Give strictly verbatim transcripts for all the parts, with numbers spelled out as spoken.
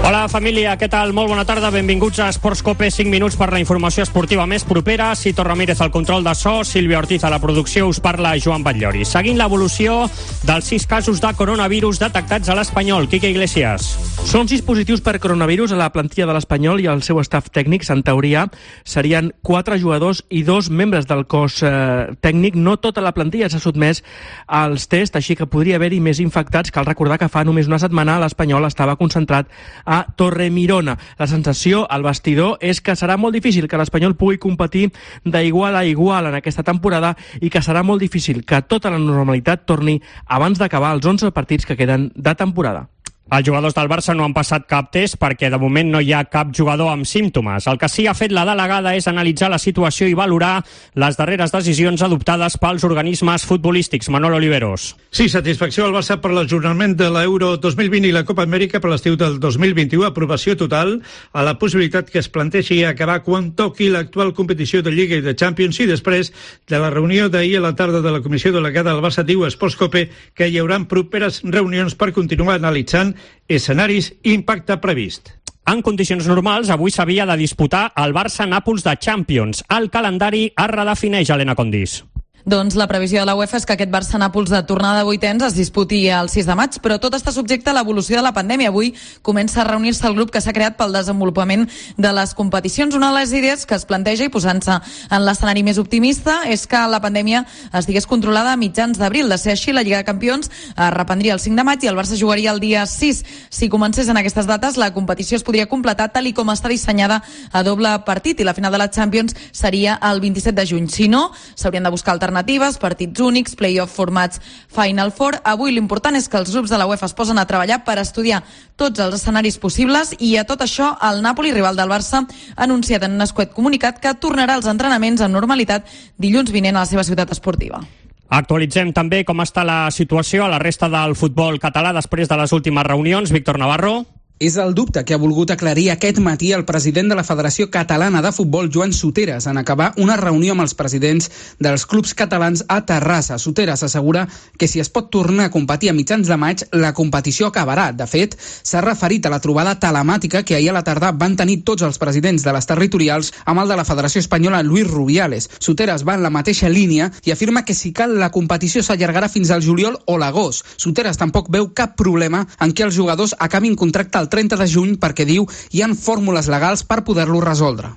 Hola família, què tal? Molt bona tarda, benvinguts a Esports Cope, cinc minuts per la informació esportiva més propera. Cito Ramírez al control de so, Sílvia Ortiz a la producció, us parla Joan Batllori. Seguint l'evolució dels sis casos de coronavirus detectats a l'Espanyol. Quique Iglesias. Són sis positius per coronavirus a la plantilla de l'Espanyol i al seu staff tècnic. En teoria serien quatre jugadors i dos membres del cos eh, tècnic. No tota la plantilla s'ha sotmès als tests, així que podria haver-hi més infectats. Cal recordar que fa només una setmana l'Espanyol estava concentrat a Torremirona. La sensació al vestidor és que serà molt difícil que l'Espanyol pugui competir d'igual a igual en aquesta temporada i que serà molt difícil que tota la normalitat torni abans d'acabar els onze partits que queden de temporada. Els jugadors del Barça no han passat cap test perquè de moment no hi ha cap jugador amb símptomes. El que sí ha fet la delegada és analitzar la situació i valorar les darreres decisions adoptades pels organismes futbolístics. Manolo Oliveros. Sí, satisfacció al Barça per l'ajornament de l'Euro dos mil vint i la Copa Amèrica per l'estiu del dos mil vint-i-u. Aprovació total a la possibilitat que es plantegi acabar quan toqui l'actual competició de Lliga i de Champions, i després de la reunió d'ahir a la tarda de la comissió delegada del Barça, diu Esports Cope que hi haurà properes reunions per continuar analitzant escenaris i impacte previst. En condicions normals, avui s'havia de disputar el Barça-Nàpols de Champions. El calendari es redefineix, Helena Condis. Doncs la previsió de la UEFA és que aquest Barça-Nàpols de tornada de vuitens es disputi el sis de maig, però tot està subjecte a l'evolució de la pandèmia. Avui comença a reunir-se el grup que s'ha creat pel desenvolupament de les competicions. Una de les idees que es planteja, i posant-se en l'escenari més optimista, és que la pandèmia estigués controlada a mitjans d'abril. De ser així, la Lliga de Campions es reprendria el cinc de maig i el Barça jugaria el dia sis. Si comencés en aquestes dates, la competició es podria completar tal i com està dissenyada a doble partit, i la final de la Champions seria el vint-i-set de juny. Si no, s'haurien de buscar alternatives, partits únics, play-off formats Final Four. Avui l'important és que els grups de la UEFA es posen a treballar per estudiar tots els escenaris possibles, i a tot això el Nàpoli, rival del Barça, ha anunciat en un escuet comunicat que tornarà als entrenaments amb normalitat dilluns vinent a la seva ciutat esportiva. Actualitzem també com està la situació a la resta del futbol català després de les últimes reunions. Víctor Navarro. És el dubte que ha volgut aclarir aquest matí el president de la Federació Catalana de Futbol, Joan Soteras, en acabar una reunió amb els presidents dels clubs catalans a Terrassa. Soteras assegura que si es pot tornar a competir a mitjans de maig, la competició acabarà. De fet, s'ha referit a la trobada telemàtica que ahir a la tarda van tenir tots els presidents de les territorials amb el de la Federació Espanyola, Luis Rubiales. Soteras va en la mateixa línia i afirma que si cal la competició s'allargarà fins al juliol o l'agost. Soteras tampoc veu cap problema en què els jugadors acabin contracte al trenta de juny perquè, diu, hi han fórmules legals per poder-lo resoldre.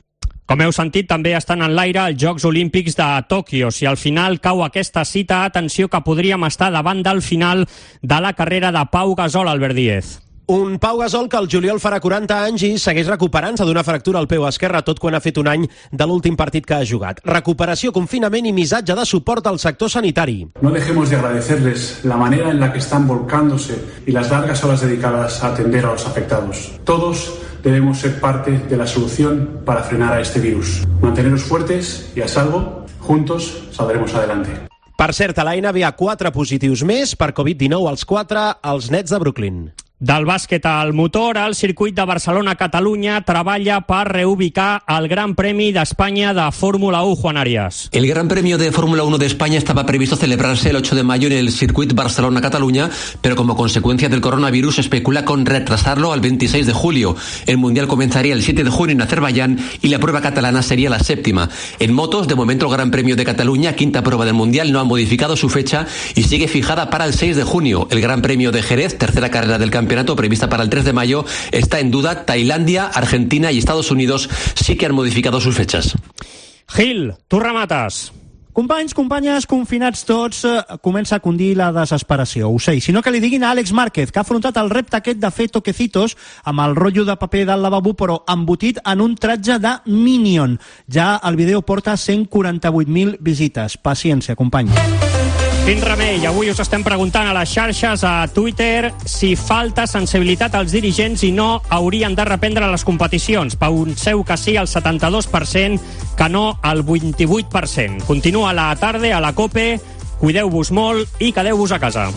Com heu sentit, també estan en l'aire els Jocs Olímpics de Tòquio. Si al final cau aquesta cita, atenció que podríem estar davant del final de la carrera de Pau Gasol, Albert Díez. Un Pau Gasol que el juliol farà quaranta anys i segueix recuperant-se d'una fractura al peu esquerre, tot quan ha fet un any de l'últim partit que ha jugat. Recuperació, confinament i missatge de suport al sector sanitari. No dejemos de agradecerles la manera en la que están volcándose y las largas horas dedicadas a atender a los afectados. Todos debemos ser parte de la solución para frenar a este virus. Manteneros fuertes y a salvo, juntos saldremos adelante. Per cert, a la N B A quatre positius més per covid dinou, als quatre, als Nets de Brooklyn. Del bàsquet al motor, el circuit de Barcelona-Catalunya treballa per reubicar el Gran Premi d'Espanya de Fórmula uno, Juan Arias. El Gran Premio de Fórmula uno de España estaba previsto celebrarse el ocho de mayo en el circuit Barcelona-Cataluña, pero como consecuencia del coronavirus se especula con retrasarlo al veintiséis de julio. El Mundial comenzaría el siete de junio en Azerbaiyán y la prueba catalana sería la séptima. En motos, de momento el Gran Premio de Cataluña, quinta prueba del Mundial, no ha modificado su fecha y sigue fijada para el seis de junio. El Gran Premio de Jerez, tercera carrera del campeonato, prevista para el tres de mayo, está en duda. Tailandia, Argentina y Estados Unidos sí que han modificado sus fechas. Gil, tu remates. Companys, companyes, confinats tots, eh, comença a condir la desesperació. Ho sé, sinó que li diguin a Àlex Márquez, que ha afrontat el repte aquest de fer toquecitos amb el rotllo de paper del lavabo, però embotit en un tratge de Minion. Ja el vídeo porta cent quaranta-vuit mil visites. Paciència, companys. Quin remei, avui us estem preguntant a les xarxes, a Twitter, si falta sensibilitat als dirigents i no haurien de reprendre les competicions. Penseu que sí al setanta-dos per cent, que no al vint-i-vuit per cent. Continua la tarda a la COPE, cuideu-vos molt i quedeu-vos a casa.